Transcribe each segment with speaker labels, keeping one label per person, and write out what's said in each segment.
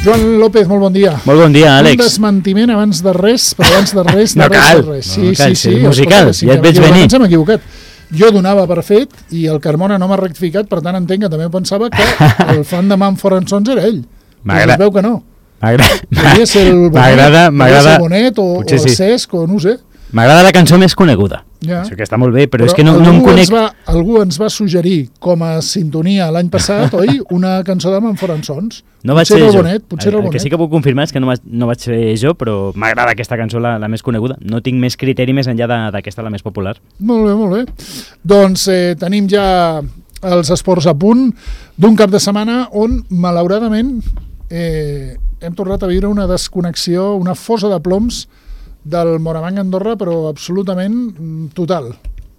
Speaker 1: Joan López, molt bon dia.
Speaker 2: Molt bon dia, Àlex.
Speaker 1: Un desmentiment abans de res, però abans de res...
Speaker 2: No cal,
Speaker 1: sí,
Speaker 2: musical, ja et veig venir.
Speaker 1: Ens hem equivocat. Jo donava per fet i el Carmona no m'ha rectificat, per tant entenc que també pensava que el fan de Mumford & Sons era ell. Però es veu que no. Podria ser el Bonet o el Cesc o no ho sé.
Speaker 2: M'agrada la cançó més coneguda.
Speaker 1: Ja.
Speaker 2: Això que està molt bé, però és que no em conec...
Speaker 1: Algú ens va suggerir com a sintonia l'any passat, oi? Una cançó de Mumford & Sons.
Speaker 2: No vaig ser jo.
Speaker 1: Potser el
Speaker 2: que sí que puc confirmar és que no vaig ser jo, però m'agrada aquesta cançó, la més coneguda. No tinc més criteri més enllà d'aquesta, la més popular.
Speaker 1: Molt bé, molt bé. Doncs tenim ja els esports a punt d'un cap de setmana on, malauradament, hem tornat a viure una desconnexió, una fosa de ploms del Morabanc Andorra, però absolutament total.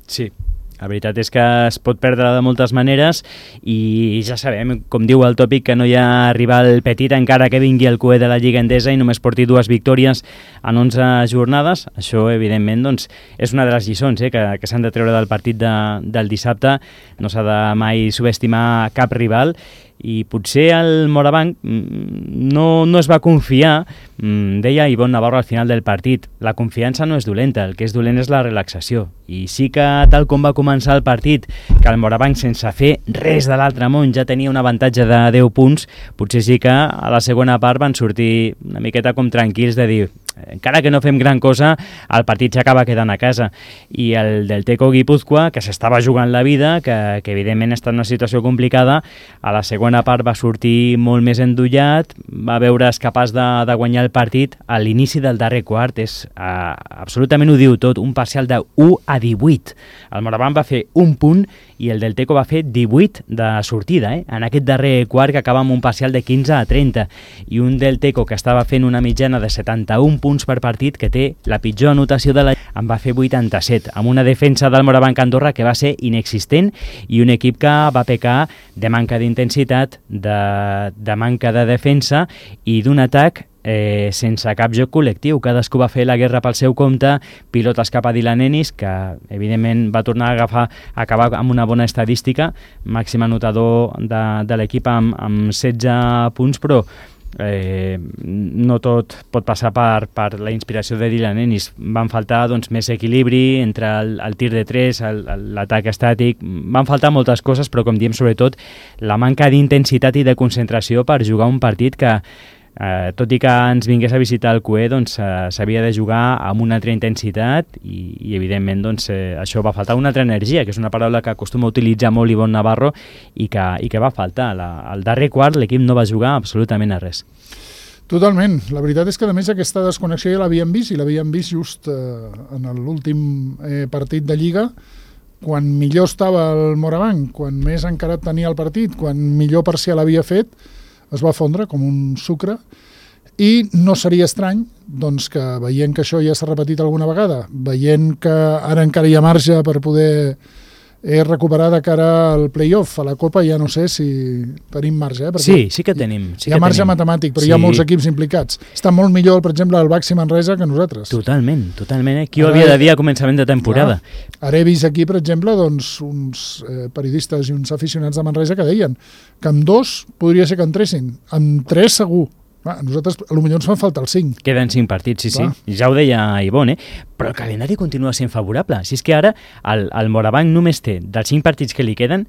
Speaker 2: Sí, la veritat és que es pot perdre de moltes maneres i ja sabem, com diu el tòpic, que no hi ha rival petit encara que vingui el cué de la Lliga Endesa i només porti 2 victòries en 11 jornades. Això, evidentment, doncs, és una de les lliçons que s'han de treure del partit del dissabte. No s'ha de mai subestimar cap rival i potser el Morabanc no es va confiar. Deia Ivonne Navarro al final del partit, la confiança no és dolenta, el que és dolent és la relaxació. I sí que tal com va començar el partit, que el Morabanc sense fer res de l'altre món ja tenia un avantatge de 10 punts, potser sí que a la segona part van sortir una miqueta com tranquils de dir encara que no fem gran cosa, el partit s'acaba quedant a casa. I el del Teco Guipúzcoa, que s'estava jugant la vida, que evidentment està en una situació complicada, a la segona part va sortir molt més endollat, va veure's capaç de guanyar el partit a l'inici del darrer quart. Absolutament ho diu tot, un parcial de 1-18. El Morabanc va fer un punt i el del Teco va fer 18 de sortida, en aquest darrer quart, que acaba amb un parcial de 15-30, i un del Teco que estava fent una mitjana de 71 punts per partit, que té la pitjor anotació de en va fer 87, amb una defensa del Morabanc Andorra que va ser inexistent i un equip que va pecar de manca d'intensitat, de manca de defensa i d'un atac sense cap joc col·lectiu. Cadascú va fer la guerra pel seu compte, pilotes cap a Dylan Ennis, que evidentment va tornar a acabar amb una bona estadística, màxim anotador de l'equip amb 16 punts, però no tot pot passar per la inspiració de Dylan Ennis. Van faltar més equilibri entre el tir de 3, l'atac estàtic, van faltar moltes coses, però com diem, sobretot la manca d'intensitat i de concentració per jugar un partit que tot i que ens vingués a visitar el cué, s'havia de jugar amb una altra intensitat i evidentment això va faltar, una altra energia, que és una paraula que acostuma a utilitzar molt Ivonne Navarro i que va faltar. Al darrer quart l'equip no va jugar absolutament a res.
Speaker 1: Totalment. La veritat és que a més aquesta desconnexió ja l'havíem vist, i l'havíem vist just en l'últim partit de Lliga, quan millor estava el Morabanc, quan més encarat tenia el partit, quan millor parcial havia fet, es va fondre com un sucre, i no seria estrany que veient que això ja s'ha repetit alguna vegada, veient que ara encara hi ha marge per poder recuperar de cara al play-off, a la Copa, ja no sé si tenim marge.
Speaker 2: Sí que tenim.
Speaker 1: Hi ha marge matemàtic, però hi ha molts equips implicats. Està molt millor, per exemple, el Baxi Manresa que nosaltres.
Speaker 2: Totalment. Qui ho havia de dir a començament de temporada?
Speaker 1: Ara he vist aquí, per exemple, uns periodistes i uns aficionats de Manresa que deien que amb 2 podria ser que entressin, amb 3 segur. A nosaltres potser ens fan falta els 5.
Speaker 2: Queden 5 partits, sí. Ja ho deia Ivonne, però el calendari continua sent favorable. Si és que ara el Morabanc només té, dels 5 partits que li queden,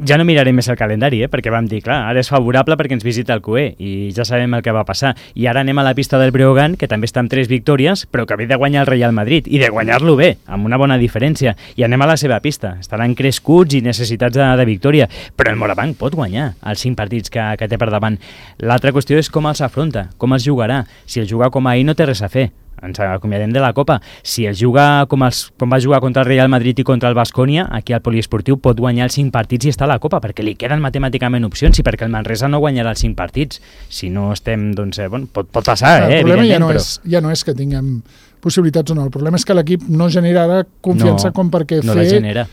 Speaker 2: ja no mirarem més el calendari, perquè vam dir, clar, ara és favorable perquè ens visita el cué i ja sabem el que va passar. I ara anem a la pista del Breogán, que també està amb 3 victòries, però que ve de guanyar el Real Madrid, i de guanyar-lo bé, amb una bona diferència. I anem a la seva pista. Estaran crescuts i necessitats de victòria, però el Morabanc pot guanyar els 5 partits que té per davant. L'altra qüestió és com els afronta, com els jugarà. Si el juga com ahir no té res a fer, ens acomiadem de la Copa. Si el juga com va jugar contra el Real Madrid i contra el Baskonia, aquí al poliesportiu pot guanyar els 5 partits i està a la Copa, perquè li queden matemàticament opcions, i perquè el Manresa no guanyarà els 5 partits. Si no estem, pot passar,
Speaker 1: el problema ja no és que tinguem possibilitats o no, el problema és que l'equip no genera ara confiança com perquè
Speaker 2: no la genera.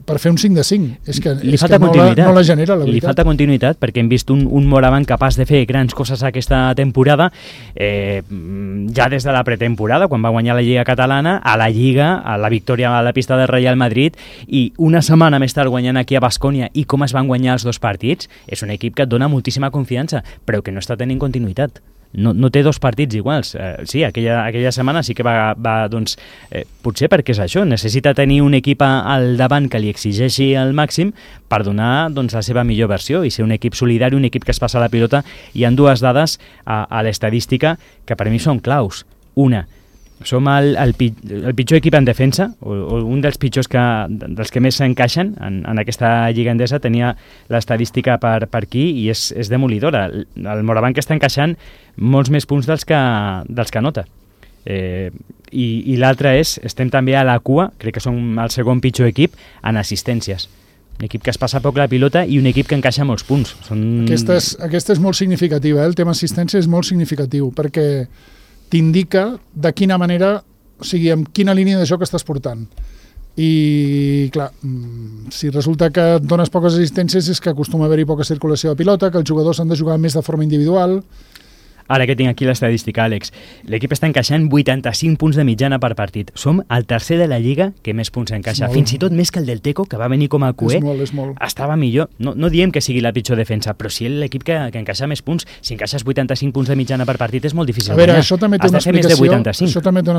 Speaker 1: per fer un 5 de 5. És que,
Speaker 2: li falta continuïtat.
Speaker 1: No la genera, la veritat.
Speaker 2: Li falta continuïtat perquè hem vist un Moraván capaç de fer grans coses aquesta temporada, ja des de la pretemporada, quan va guanyar la Lliga Catalana, a la Lliga, a la victòria a la pista del Real Madrid, i una setmana més tard guanyant aquí a Baskonia, i com es van guanyar els 2 partits, és un equip que et dona moltíssima confiança, però que no està tenint continuïtat. No té 2 partits iguals. Sí, aquella setmana sí que va doncs, potser perquè és això, necessita tenir un equip al davant que li exigeixi al màxim per donar doncs, la seva millor versió i ser un equip solidari, un equip que es passa la pilota. Hi ha 2 dades a l'estadística que per mi són claus. Una, som el pitjor equip en defensa, o un dels pitjors dels que més s'encaixen en aquesta Lliga Endesa. Tenia l'estadística per aquí i és demolidora. El Moraván que està encaixant molts més punts dels que anota. I l'altre estem també a la cua, crec que som el segon pitjor equip en assistències. Un equip que es passa poc la pilota i un equip que encaixa molts punts.
Speaker 1: Aquesta és molt significativa, el tema assistència és molt significatiu, perquè t'indica de quina manera, o sigui, amb quina línia de joc estàs portant. I, clar, si resulta que et dones poques assistències és que acostuma a haver-hi poca circulació de pilota, que els jugadors han de jugar més de forma individual.
Speaker 2: Ara que tinc aquí l'estadística, Àlex, l'equip està encaixant 85 punts de mitjana per partit. Som el tercer de la Lliga que més punts encaixa. Fins i tot més que el del Teco, que va venir com a cué.
Speaker 1: És molt.
Speaker 2: Estava millor. No diem que sigui la pitjor defensa, però sí l'equip que encaixa més punts. Si encaixes 85 punts de mitjana per partit és molt difícil.
Speaker 1: A veure, això també té una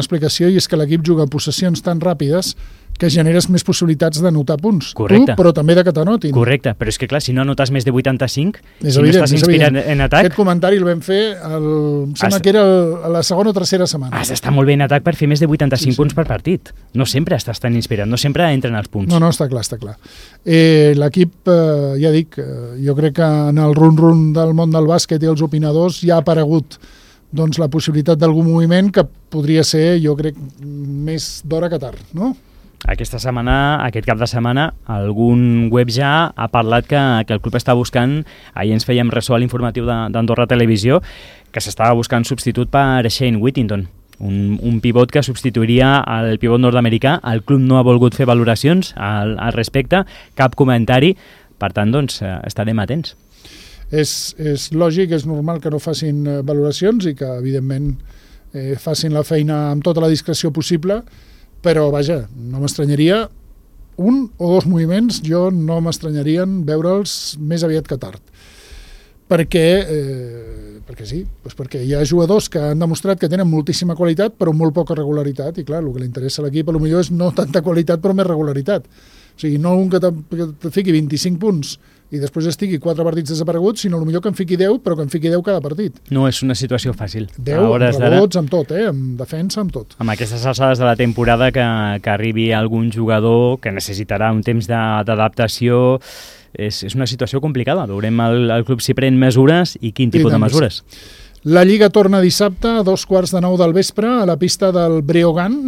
Speaker 1: explicació i és que l'equip juga possessions tan ràpides que generes més possibilitats d'anotar punts.
Speaker 2: Correcte.
Speaker 1: Tu, però també de que t'anotin.
Speaker 2: Correcte, però és que clar, si no anotes més de 85,
Speaker 1: és
Speaker 2: si
Speaker 1: evident,
Speaker 2: no estàs inspirat en atac...
Speaker 1: Aquest comentari el vam fer, em sembla que era a la segona o tercera setmana.
Speaker 2: Has d'estar molt bé en atac per fer més de 85 punts per partit. No sempre estàs tan inspirat, no sempre entren els punts.
Speaker 1: No, està clar. L'equip, ja dic, jo crec que en el run-run del món del bàsquet i els opinadors ja ha aparegut doncs, la possibilitat d'algun moviment que podria ser, jo crec, més d'hora que tard, no?
Speaker 2: Aquest cap de setmana, algun web ja ha parlat que el club està buscant, ahir ens fèiem ressò a l'informatiu d'Andorra Televisió, que s'estava buscant substitut per Shane Whittington, un pivot que substituiria el pivot nord-americà. El club no ha volgut fer valoracions al respecte, cap comentari, per tant, doncs, estarem atents.
Speaker 1: És lògic, és normal que no facin valoracions i que, evidentment, facin la feina amb tota la discreció possible, però, vaja, no m'estranyaria un o 2 moviments, jo no m'estranyarien veure'ls més aviat que tard. Perquè sí, doncs perquè hi ha jugadors que han demostrat que tenen moltíssima qualitat però molt poca regularitat, i clar, el que li interessa a l'equip potser és no tanta qualitat però més regularitat. O sigui, no un que te fiqui 25 punts i després estigui 4 partits desapareguts, sinó millor que en fiqui 10, però que en fiqui 10 cada partit.
Speaker 2: No és una situació fàcil.
Speaker 1: 10 amb rebots, amb tot, amb defensa, amb tot.
Speaker 2: Amb aquestes alçades de la temporada que arribi algun jugador que necessitarà un temps d'adaptació, és una situació complicada. Veurem el club si pren mesures i quin tipus de mesures.
Speaker 1: La Lliga torna dissabte a 2:15 del vespre a la pista del Breogán.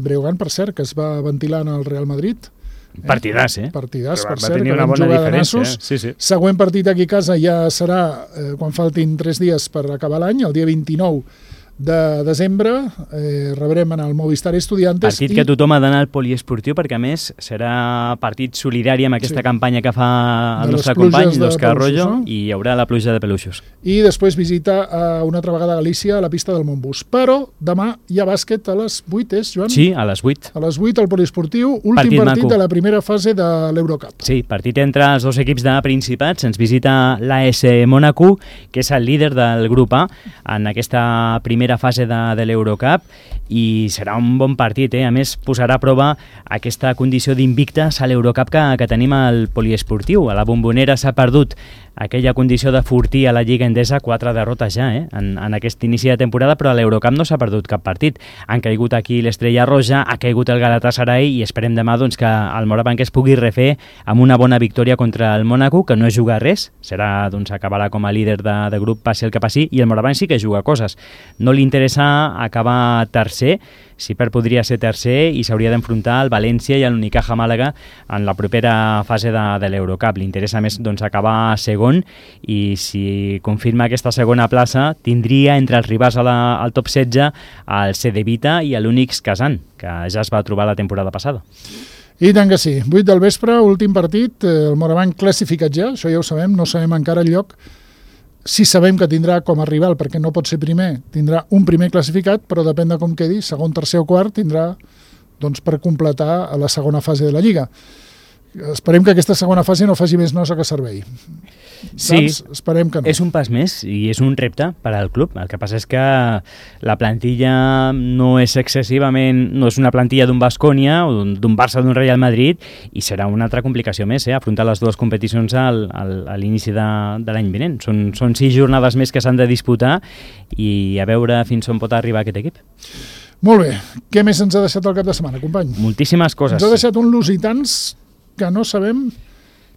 Speaker 1: Breogán, per cert, que es va ventilar en el Real Madrid.
Speaker 2: Partidàs,
Speaker 1: Partidàs, per cert,
Speaker 2: tenir una bona diferència. Sí.
Speaker 1: Següent partit aquí a casa ja serà quan faltin 3 dies per acabar l'any, el dia 29 de desembre, rebrem en el Movistar Estudiantes.
Speaker 2: Partit que tothom ha d'anar al poliesportiu, perquè a més serà partit solidari amb aquesta campanya que fa el nostre company, l'Òscar Arroyo, i hi haurà la pluja de peluixos.
Speaker 1: I després visita una altra vegada a Galícia a la pista del Montbus. Però demà hi ha bàsquet a les 8, Joan?
Speaker 2: Sí, a les 8.
Speaker 1: A les 8 al poliesportiu, últim partit de la primera fase de l'Eurocup.
Speaker 2: Sí, partit entre els 2 equips de Principats. Ens visita l'AS Mónaco, que és el líder del grup A en aquesta primera fase de l'Eurocup, i serà un bon partit, A més, posarà a prova aquesta condició d'invictes a l'Eurocup que tenim al poliesportiu. A la Bombonera s'ha perdut aquella condició de fortí a la Lliga Endesa, 4 derrotes ja en aquest inici de temporada, però a l'Eurocup no s'ha perdut cap partit. Han caigut aquí l'Estrella Roja, ha caigut el Galatasaray, i esperem demà doncs, que el Moraván que es pugui refer amb una bona victòria contra el Mónaco, que no juga res, acabarà com a líder de grup, passi el que passi, i el Moraván sí que juga coses. No li interessa acabar tercer, si podria ser tercer, i s'hauria d'enfrontar al València i a l'Unicaja Màlaga en la propera fase de l'Eurocup. Li interessa més acabar segon, i si confirma aquesta segona plaça tindria entre els rivals al top 16 el Cedevita i l'Unix Kazan, que ja es va trobar la temporada passada.
Speaker 1: I tant que sí. 8 del vespre, últim partit, el Moraván classificat ja, això ja ho sabem, no sabem encara el lloc. Sí sabem que tindrà com a rival, perquè no pot ser primer, tindrà un primer classificat, però depèn de com quedi, segon, tercer o quart, tindrà doncs, per completar a la segona fase de la Lliga. Esperem que aquesta segona fase no faci més nosa que servei.
Speaker 2: Sí,
Speaker 1: esperem que no.
Speaker 2: És un pas més i és un repte per al club. El que passa és que la plantilla no és excessivament, no és una plantilla d'un Baskonia o d'un Barça o d'un Real Madrid, i serà una altra complicació més, afrontar les dues competicions a l'inici de l'any vinent. Són 6 jornades més que s'han de disputar i a veure fins on pot arribar aquest equip.
Speaker 1: Molt bé. Què més ens ha deixat el cap de setmana, company?
Speaker 2: Moltíssimes coses.
Speaker 1: Ens ha deixat un Lusitans que no sabem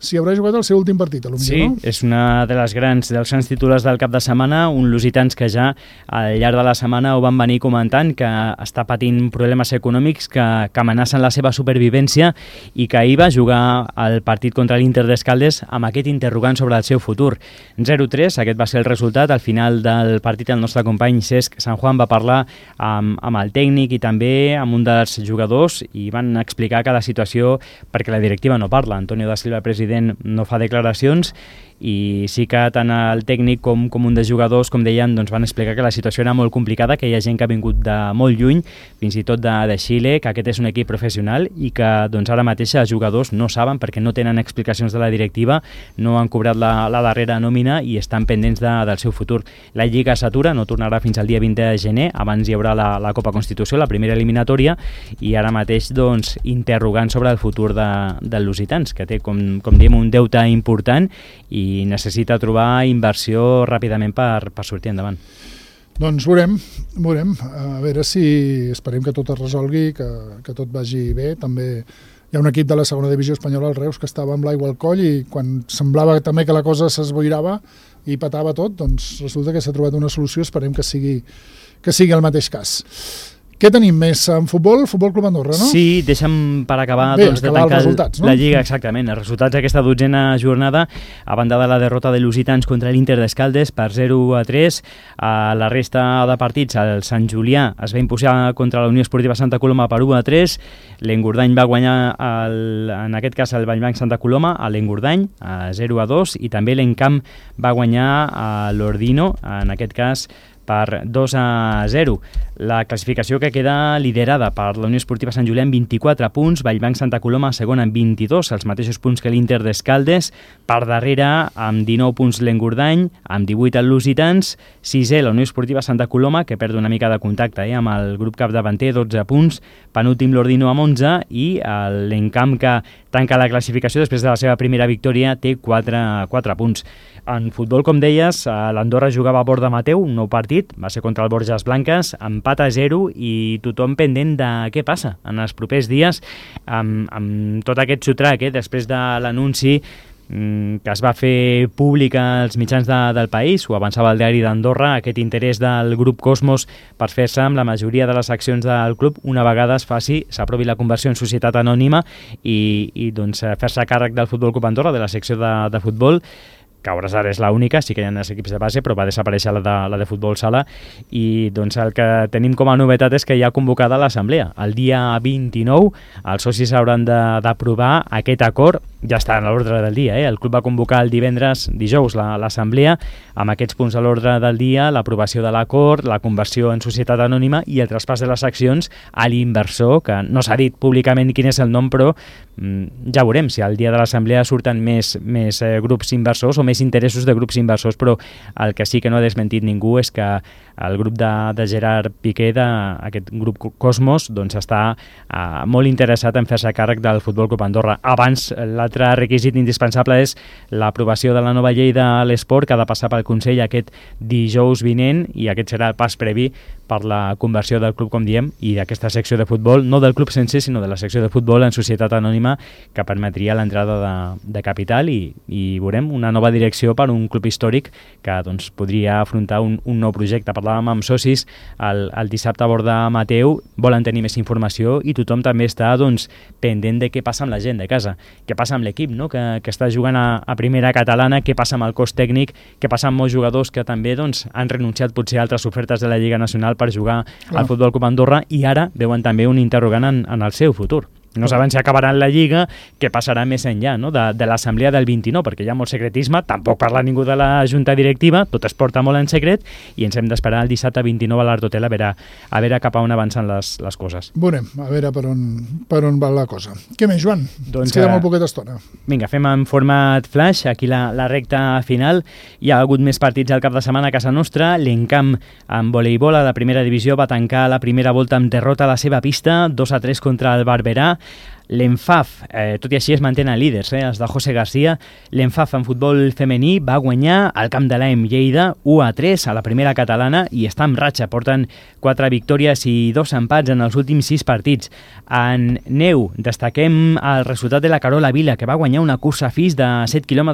Speaker 1: si haurà jugat el seu últim partit, potser,
Speaker 2: sí,
Speaker 1: no?
Speaker 2: És una dels grans titulars del cap de setmana, un Lusitans que ja al llarg de la setmana ho van venir comentant, que està patint problemes econòmics que amenacen la seva supervivència i que ahir va jugar el partit contra l'Inter d'Escaldes amb aquest interrogant sobre el seu futur. 0-3, aquest va ser el resultat. Al final del partit el nostre company Cesc San Juan va parlar amb el tècnic i també amb un dels jugadors i van explicar que la situació, perquè la directiva no parla, Antonio da Silva, president, no fa declaracions, i sí que tant el tècnic com un dels jugadors, com deien, doncs van explicar que la situació era molt complicada, que hi ha gent que ha vingut de molt lluny, fins i tot de Xile, que aquest és un equip professional i que doncs, ara mateix els jugadors no saben perquè no tenen explicacions de la directiva, no han cobrat la darrera nòmina i estan pendents del seu futur. La Lliga s'atura, no tornarà fins al dia 20 de gener, abans hi haurà la Copa Constitució, la primera eliminatòria, i ara mateix doncs, interrogant sobre el futur del Lusitans, que té, com diem, un deute important i necessita trobar inversió ràpidament per sortir endavant.
Speaker 1: Doncs veurem. A veure si esperem que tot es resolgui, que tot vagi bé. També hi ha un equip de la segona divisió espanyola, el Reus, que estava amb l'aigua al coll i quan semblava també que la cosa s'esboirava i patava tot, doncs resulta que s'ha trobat una solució. Esperem que sigui el mateix cas. Què tenim més en futbol? Futbol Club Andorra, no?
Speaker 2: Sí, deixa'm per acabar
Speaker 1: de
Speaker 2: tancar
Speaker 1: no?
Speaker 2: La Lliga, exactament. Els resultats d'aquesta 12a jornada, a banda de la derrota de Lusitans contra l'Inter d'Escaldes per 0-3, a la resta de partits el Sant Julià es va imposar contra la Unió Esportiva Santa Coloma per 1-3, l'Engordany va guanyar en aquest cas el Vallbanc Santa Coloma a l'Engordany a 0-2 i també l'Encamp va guanyar a l'Ordino, en aquest cas per 2-0. La classificació que queda liderada per la Unió Esportiva Sant Julià amb 24 punts, Vallbanc Santa Coloma segona amb 22, els mateixos punts que l'Inter d'Escaldes, per darrere amb 19 punts l'Engordany, amb 18 el Lusitans, 6è la Unió Esportiva Santa Coloma, que perd una mica de contacte amb el grup capdavanter, 12 punts, penúltim l'Ordino amb 11 i l'Encamp, que tanca la classificació després de la seva primera victòria, té 4 punts. En futbol, com deies, l'Andorra jugava a Borda Mateu, un nou partit, va ser contra el Borges Blanques, empat a 0 i tothom pendent de què passa en els propers dies amb tot aquest sotrac, després de l'anunci que es va fer públic als mitjans del país, ho avançava el diari d'Andorra, aquest interès del grup Cosmos per fer-se amb la majoria de les accions del club una vegada s'aprovi la conversió en societat anònima i doncs, fer-se càrrec del Futbol Club Andorra, de la secció de futbol, que a hores d'ara és l'única, sí que hi ha els equips de base, però va desaparèixer la de futbol sala, i doncs el que tenim com a novetat és que hi ha convocada l'assemblea. El dia 29 els socis hauran d'aprovar aquest acord, ja està en l'ordre del dia, el club va convocar el dijous l'assemblea, amb aquests punts a l'ordre del dia, l'aprovació de l'acord, la conversió en societat anònima i el traspàs de les accions a l'inversor, que no s'ha dit públicament quin és el nom, però ja veurem si al dia de l'assemblea surten més grups inversors o més interessos de grups inversors, però el que sí que no ha desmentit ningú és que el grup de Gerard Piqué, aquest grup Cosmos, doncs està molt interessat en fer-se càrrec del Futbol Club Andorra. Abans, l'altre requisit indispensable és l'aprovació de la nova llei de l'esport, que ha de passar pel Consell aquest dijous vinent, i aquest serà el pas previ per la conversió del club, com diem, i d'aquesta secció de futbol, no del club sencer, sinó de la secció de futbol en societat anònima, que permetria l'entrada de capital i veurem una nova direcció per un club històric que doncs, podria afrontar un nou projecte. Parlàvem amb socis el dissabte a Borda Mateu, volen tenir més informació i tothom també està doncs, pendent de què passa amb la gent de casa, què passa amb l'equip, no? que està jugant a primera catalana, què passa amb el cos tècnic, què passa amb molts jugadors que també doncs, han renunciat potser a altres ofertes de la Lliga Nacional per jugar al Futbol Club Andorra i ara veuen també un interrogant en el seu futur. No saben si acabaran la Lliga, què passarà més enllà, no? de l'assemblea del 29, perquè hi ha molt secretisme, tampoc parla ningú de la junta directiva, tot es porta molt en secret i ens hem d'esperar el dissabte 29 a l'Art Hotel a veure cap a on avancen les coses.
Speaker 1: Veurem, a veure per on va la cosa. Què més, Joan?
Speaker 2: Doncs,
Speaker 1: ens queda molt poqueta estona.
Speaker 2: Vinga, fem en format flash, aquí la recta final. Hi ha hagut més partits al cap de setmana a casa nostra. L'Encamp en voleibol a la primera divisió va tancar la primera volta amb derrota a la seva pista, 2-3 contra el Barberà. L'Enfaf, tot i així es mantenen líders, els de José García. L'Enfaf en futbol femení va guanyar al camp de l'AEM Lleida 1-3 a la primera catalana i està en ratxa. Porten 4 victòries i 2 empats en els últims 6 partits. En neu, destaquem el resultat de la Carola Vila, que va guanyar una cursa FIS de 7,5 km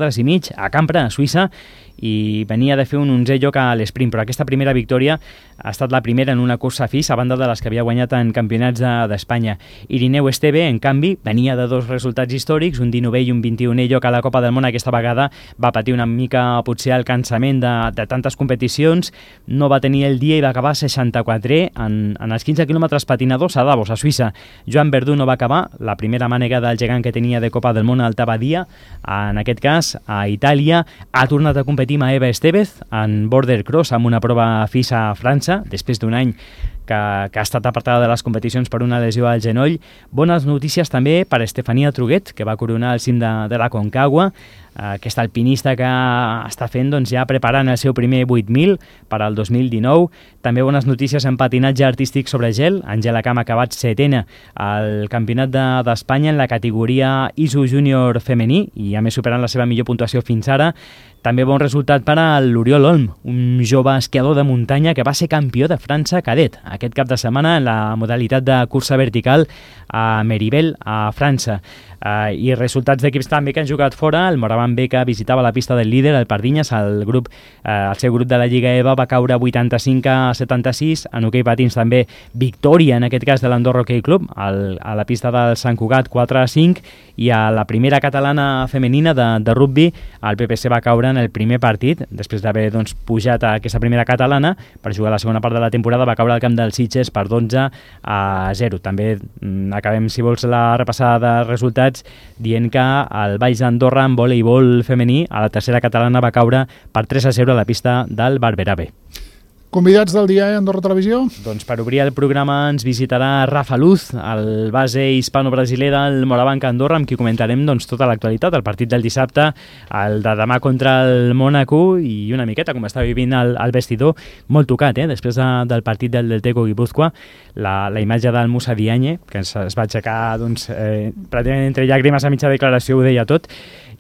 Speaker 2: a Campra, a Suïssa, i venia de fer un 11è lloc a l'esprint, però aquesta primera victòria ha estat la primera en una cursa FIS a banda de les que havia guanyat en campionats d'Espanya. Irineu Esteve, en canvi, venia de 2 resultats històrics, un 19è i un 21è lloc a la Copa del Món. Aquesta vegada va patir una mica potser el cansament de tantes competicions, no va tenir el dia i va acabar 64è en els 15 quilòmetres patinadors a Davos, a Suïssa. Joan Verdú no va acabar la primera mànega del gegant que tenia de Copa del Món al Tabadia, en aquest cas a Itàlia. Ha tornat a competir Eva Estevez en border cross amb una prova FIS a França, després d'un any que ha estat apartada de les competicions per una lesió al genoll. Bones notícies també per Estefania Truguet, que va coronar el cim de la Concagua, aquesta alpinista que està fent ja preparant el seu primer 8.000 per al 2019. També bones notícies en patinatge artístic sobre gel. Àngela Camp ha acabat 7ena al Campionat d'Espanya en la categoria ISO Júnior femení i a més superant la seva millor puntuació fins ara. També bon resultat per a l'Oriol Olm, un jove esquiador de muntanya que va ser campió de França cadet aquest cap de setmana en la modalitat de cursa vertical a Meribel, a França. I resultats d'equips també que han jugat fora. El Moraván B, que visitava la pista del líder, el Pardinyes. El seu grup de la Lliga EVA va caure 85-76. En hoquei patins també victòria, en aquest cas de l'Andorra Hockey Club, a la pista del Sant Cugat 4-5. I a la primera catalana femenina de rugby, el PPC va caure en el primer partit, després d'haver pujat a aquesta primera catalana per jugar la segona part de la temporada. Va caure al camp del Sitges per 12-0. També acabem, si vols, la repassada de resultats dient que el Valls d'Andorra en voleibol femení a la tercera catalana va caure per 3-0 a la pista del Barberà B.
Speaker 1: Convidats del dia a Andorra Televisió? Doncs
Speaker 2: per obrir el programa ens visitarà Rafa Luz, el base hispano-brasiler del Morabanc Andorra, amb qui comentarem tota l'actualitat, el partit del dissabte, el de demà contra el Mónaco i una miqueta com està vivint el vestidor, molt tocat, després del partit del Teco Guipúzcoa, la imatge del Musa Diagne, que es va aixecar pràcticament entre llàgrimes a mitja declaració, ho deia tot.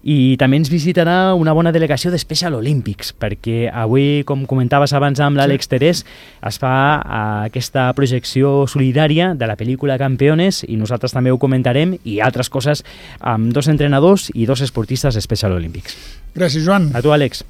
Speaker 2: I també ens visitarà una bona delegació de Special Olympics, perquè avui, com comentaves abans amb l'Àlex Terés, es fa aquesta projecció solidària de la pel·lícula Campeones i nosaltres també ho comentarem, i altres coses amb 2 entrenadors i 2 esportistes de Special Olympics.
Speaker 1: Gràcies, Joan.
Speaker 2: A tu, Àlex.